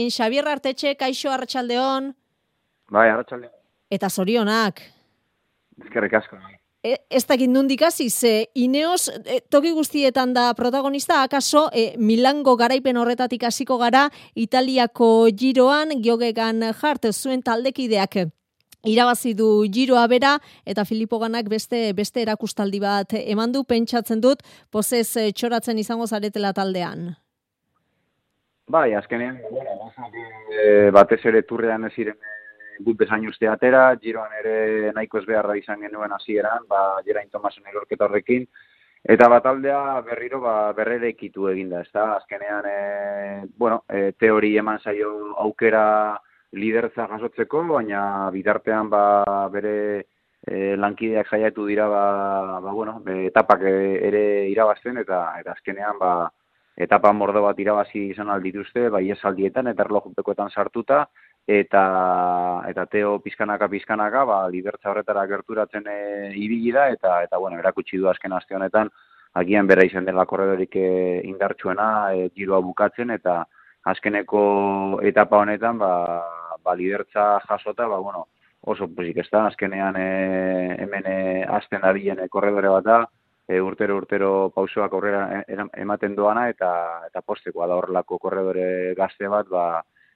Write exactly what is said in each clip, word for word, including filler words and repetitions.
Xabier Artetxe, kaixo arratsaldeon. Bai, arratsaldeon. Eta zorionak. Eskerrik asko. E, ez dakit nondik hasi, ze Ineos e, toki guztietan da protagonista, akaso e, Milango garaipen horretatik hasiko gara, Italiako Giroan, Geoghegan Hart, zuen taldekideak irabazi du Giroa bera, eta Filippo Ganak beste beste erakustaldi bat eman du, pentsatzen dut, pozez e, txoratzen izango zaretela taldean. Bai, azkenean, e, batez ere turrean ez ziren gut bezain uste atera, Giroan ere nahiko ez beharra izan genuen hasieran, ba, Geraint Thomasen erorketa horrekin, eta bataldea berriro ba, berrerekitu eginda, ez da, azkenean, e, bueno, e, teori eman zaio aukera lidertza jasotzeko, baina bitartean ba, bere e, lankideak saiatu dira, ba, ba, bueno, etapak ere irabazten, eta, eta azkenean, ba, etapa mordo bat irabazi izan aldituzte, bai esaldietan eta erlojupekoetan sartuta, eta eta Teo pizkanaka pizkanaka, ba lidertza horretara gerturatzen e, ibili da, eta eta bueno, erakutsi du azken aste honetan agian bera izan dela korredorik e, indartsuena e, Giroa bukatzen, eta azkeneko etapa honetan ba, ba lidertza jasota, ba bueno, oso pozik ez da, azkenean e, hemen e, azten dabilen e, korredore bat da, E, urtero urtero pausoak aurrera ematen doana, eta eta postekoa da horrelako korredore gazte bat, ba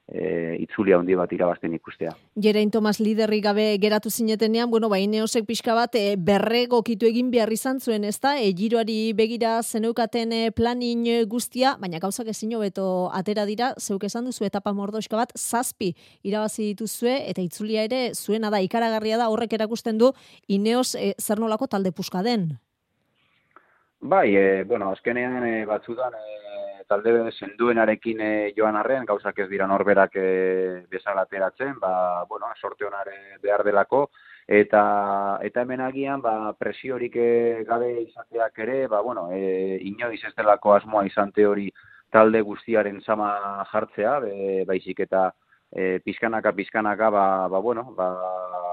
e, itzulia handi bat irabazten ikustea. Geraint Thomas liderrik gabe geratu zinetenean, bueno, ba Ineosek pixka bat e, berregokitu egin behar izan zuen, ezta? E, Giroari begira zeneukaten e, planin guztia, baina gauzak ezin hobeto atera dira, zeuk esan duzu etapa mordoxka bat zazpi irabazi dituzue, eta itzulia ere zuena da, ikaragarria da, horrek erakusten du Ineos e, zer nolako talde puska den. Bai, e, bueno, azkenean e, batzutan e, talde senduenarekin e, joan arren, gauzak ez dira norberak e, bezala ateratzen, ba, bueno, sorte honare behar delako, eta eta hemen agian ba, presiorik e, gabe izateak ere, ba, bueno, e, inoiz ez delako asmoa izan teori talde guztiaren sama jartzea, be, baizik eta e, pizkanaka pizkanaka, ba, ba, bueno, ba,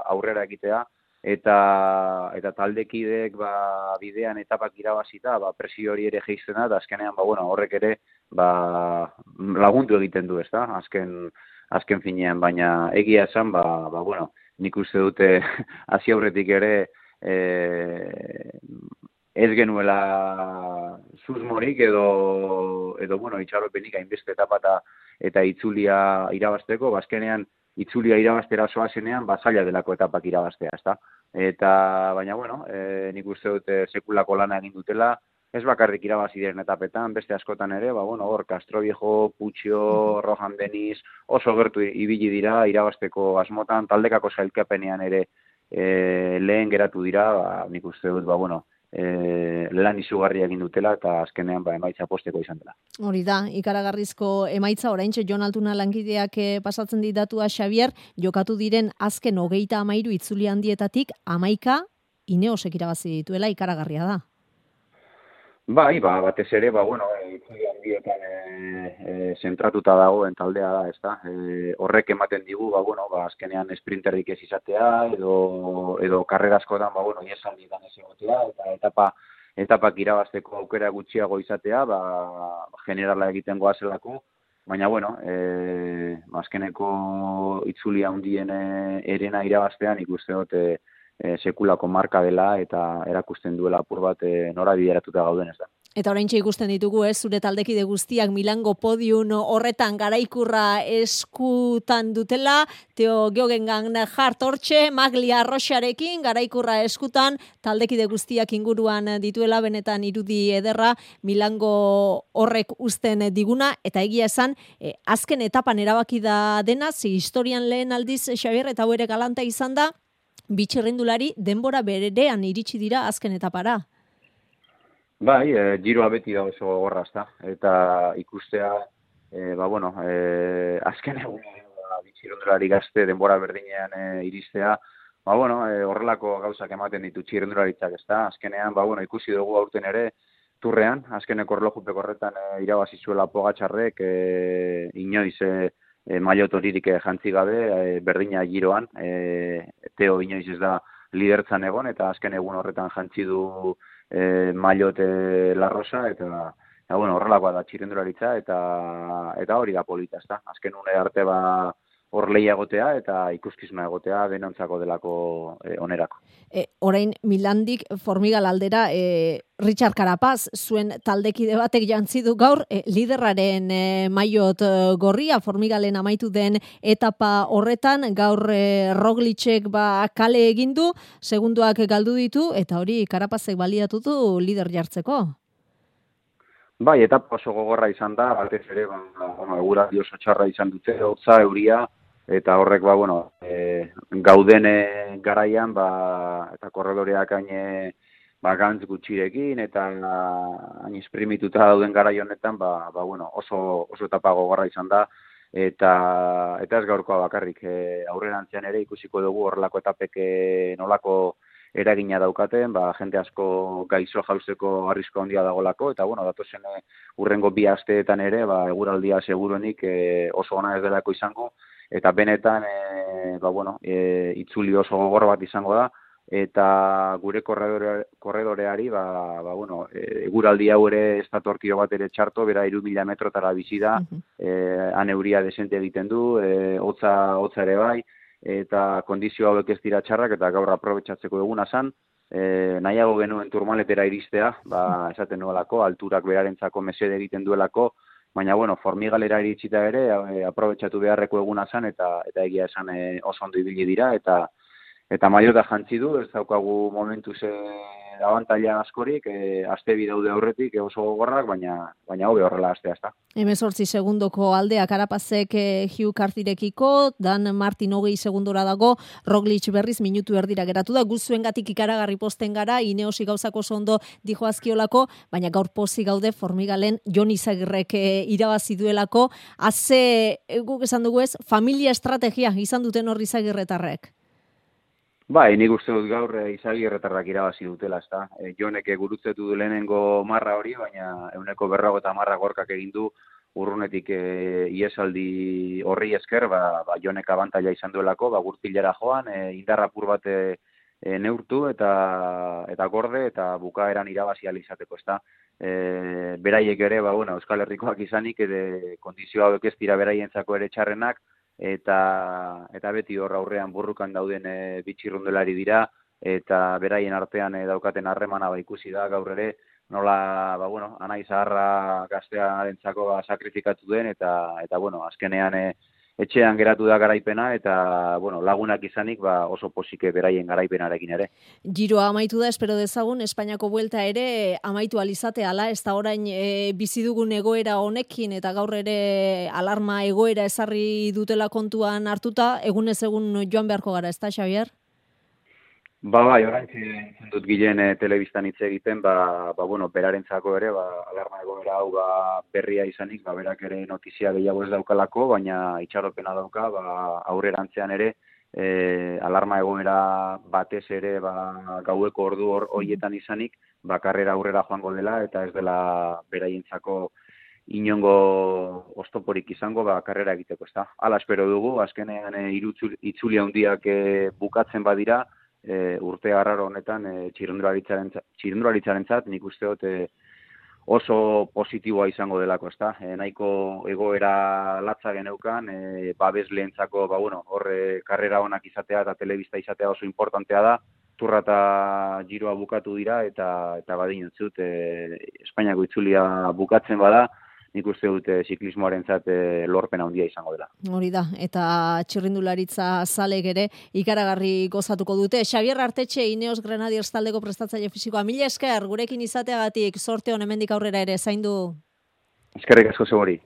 aurrera egitea, eta eta taldekideek ba bidean etapak irabazita, ba presio hori ere jaisten da, azkenean ba bueno, horrek ere ba lagundu egiten du, ezta? Azken azken finean, baina egia esan ba ba bueno, nik uste dute hasi aurretik ere eh ez genuela susmorik edo edo bueno, itxaropenik hainbeste etapa eta eta itzulia irabazteko, ba azkenean itzulia irabaztera zoazenean, ba, zaila delako etapak irabaztea, ezta? Eta, baina, bueno, e, nik uste dute sekulako lana egin dutela, ez bakarrik irabazi diren etapetan, beste askotan ere, ba, bueno, hor, Castroviejo, Puccio, Rohan Deniz, oso gertu ibili dira, irabazteko asmotan, taldekako sailkapenean ere e, lehen geratu dira, ba, nik uste dut, ba, bueno, E, lan izugarria egin dutela, eta azkenean ba, emaitza posteko izan dela. Hori da, ikaragarrizko emaitza, oraintxe Jon Altuna langideak eh, pasatzen didatua Xabier, jokatu diren azken hogeita amairu itzuli handietatik, amaika Ineosek irabazi dituela, ikaragarria da. Bai, ba, batez ere, ba, bueno, itzuli handietan e, e, zentratuta dagoen taldea da, ezta? E, horrek ematen digu, ba, bueno, ba, azkenean esprinterrik ez izatea, edo, edo karreraskotan, ba, bueno, iesaldietan ez egotea, eta etapa, etapak irabazteko aukera gutxiago izatea, ba, generala egiten goazelako, baina, bueno, e, azkeneko itzulia handien erena irabaztean ikuste dut, e, E, sekulako marka dela, eta erakusten duela apur bat e, nora bideratuta gauden ez da. Eta oraintxe ikusten ditugu, ez, zure taldekide guztiak Milango podium horretan garaikurra eskutan dutela, Teo Geoghegan Hart hortxe, Maglia Rocharekin garaikurra eskutan, taldekide guztiak inguruan dituela, benetan irudi ederra Milango horrek uzten diguna, eta egia esan, eh, azken etapan erabaki da dena, zi historian lehen aldiz Xabier, eta hau ere galanta izan da, bitxerrendulari denbora berean iritsi dira azken etapara. Bai, e, Giroa beti da oso gogorra, ezta, eta ikustea, e, ba, bueno, e, azken egun ba, bitxerrendulari gazte denbora berdinean e, iristea, ba, bueno, e, horrelako gauzak ematen ditu txirrendularitzak, ezta, azkenean, ba, bueno, ikusi dugu aurten ere, turrean, azkeneko erlojupeko horretan e, irabazi zuela Pogačarrek, e, inoiz, e, E, maillot horirik jantzi gabe, e, berdina Giroan, e, Teo inoiz ez da lidertzan egon, eta azken egun horretan jantzi du e, maillot e, La Rosa, eta Eta, bueno, horrelakoa da txirrindularitza, eta eta hori da polita, ezta. Azken une arte ba hor lehia egotea eta ikuskizuna egotea denontzako delako e, onerako. E, orain Milandik Formigal aldera e, Richard Carapaz zuen taldekide batek jantzi du gaur e, liderraren e, maillot e, gorria Formigalen amaitu den etapa horretan gaur e, Roglicek ba kale egin du, segunduak galdu ditu eta hori Carapazek baliatu du lider jartzeko. Bai, etapa oso gogorra izan da, batez ere, ba, bueno, eguraldi oso txarra izan dute, hotza, euria, eta horrek, ba, bueno, e, gauden garaian, ba, eta korredoreak hain, ba, gantz gutxirekin, eta hain esprimituta dauden garai honetan, ba, ba, bueno, oso, oso etapa gogorra izan da, eta, eta ez gaurkoa bakarrik, e, aurrerantzean ere ikusiko dugu horrelako etapek e, nolako eragina daukaten, ba, jende asko gaixo jauzeko arrisku handia dagolako, eta, bueno, datozen e, urrengo bi asteetan ere, ba, eguraldia seguruenik e, oso ona ez delako izango, eta benetan, e, ba, bueno, e, itzuli oso gogor bat izango da, eta gure korredore, korredoreari, ba, ba, bueno, e, eguraldi hau ere ez datorkio bat ere txarto, bera hiru mila metrotara bizi da, uh-huh. e, han euria desente egiten du, e, hotza, hotza ere bai, eta kondizio hauek ez dira txarrak, eta gaur aprobetxatzeko eguna zan, e, nahiago genuen turmaletera iristea, ba, esaten nuelako, alturak berarentzako mesede egiten duelako, baina, bueno, Formigalera iritsita ere, e, aprobetxatu beharreko eguna zan, eta eta egia esan e, oso ondo ibili dira, eta eta maiota jantzi du, ez daukagu momentu ze abantaila askorik, e, aste bi daude aurretik, e, oso gogorrak, baina baina hobe horrela astea ezta. hemezortzi segundoko aldea Carapazek e, Hugh Carthyrekiko, Dan Martin hogei segundora dago, Roglic berriz minutu erdira geratu da, guzuengatik ikaragarri posten gara, Ineosi gauzako oso ondo dijo azkiolako, baina gaur pozi gaude Formigalen Jon Izagirrek e, irabazi duelako, haze, e, guk esan dugu ez, familia estrategia izan duten hor Izagirretarrek. Bai, nik uste dut gaur e, Izagirretarrak irabazi dutela, ezta. E, Jonek gurutzetu du lehenengo marra hori, baina euneko berrago eta marra gorkak egin du urrunetik e, iesaldi horri esker, ba, ba Jonek abantaila izan duelako, ba gurtilara joan, e, indarrapur bat e, e, neurtu eta eta gorde eta bukaeran irabazi ahal izateko, ezta. E, beraiek ere, ba bueno, Euskal Herrikoak izanik ere kondizio hauek ez dira beraientzako ere txarrenak, eta eta beti hor aurrean burrukan dauden e, bitxirrundelari dira, eta beraien artean e, daukaten harremana ba ikusi da gaur ere, nola, ba bueno, anai zaharra gaztearentzako ba, sakrifikatu den, eta eta bueno, azkenean e, etxean geratu da garaipena, eta bueno, lagunak izanik ba, oso posike beraien garaipenarekin ere. Giroa amaitu da, espero dezagun, Espainiako buelta ere amaitu alizate ala, ez da orain e, bizi dugun egoera honekin, eta gaur ere alarma egoera ezarri dutela kontuan hartuta, egunez egun joan beharko gara, ez da, Xabier? Ba, bai, orain zen dut gilen e, telebistan hitz egiten, ba, ba, bueno, berarentzako ere, ba, alarma egoera hau ba, berria izanik, ba, berak ere notizia gehiago ez daukalako, baina itxaropena dauka, ba, aurrerantzean ere, e, alarma egoera batez ere, ba, gaueko ordu hor hoietan izanik, ba, karrera aurrera joango dela, eta ez dela beraientzako inongo oztoporik izango, ba, karrera egiteko, ez da. Hala espero dugu, azkenean e, itzuli handiak e, bukatzen badira, E, urte arraro honetan e, txirrindularitzarentzat nik uste dut e, oso positiboa izango delako, ezta? E, nahiko egoera latza geneukan, e, babesleentzako, ba bueno, hor e, karrera onak izatea eta telebista izatea oso importantea da. Turra eta giroa bukatu dira eta eta badin entzut e, Espainiako itzulia bukatzen bada, nik uste dute ziklismoarentzat e, lorpen handia izango dela. Hori da, eta txirrindularitza zalek ere ikaragarri gozatuko dute. Xabier Artetxe, Ineos Grenadiers taldeko prestatzaile fisikoa, mila esker, gurekin izateagatik, sorte hon hemendik aurrera ere, zaindu. Eskerrik asko zebori.